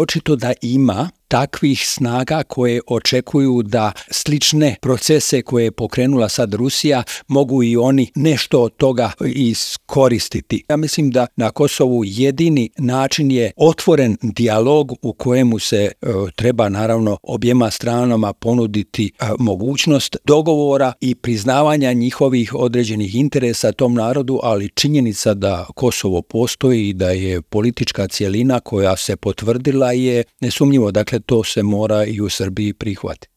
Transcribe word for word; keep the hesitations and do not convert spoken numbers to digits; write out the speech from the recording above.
Očito da ima takvih snaga koje očekuju da slične procese koje je pokrenula sad Rusija mogu i oni nešto od toga iskoristiti. Ja mislim da na Kosovu jedini način je otvoren dijalog u kojemu se e, treba naravno objema stranama ponuditi e, mogućnost dogovora i priznavanja njihovih određenih interesa tom narodu, ali činjenica da Kosovo postoji i da je politička cjelina koja se potvrdila je nesumnjivo. Dakle, to se mora i u Srbiji prihvatiti.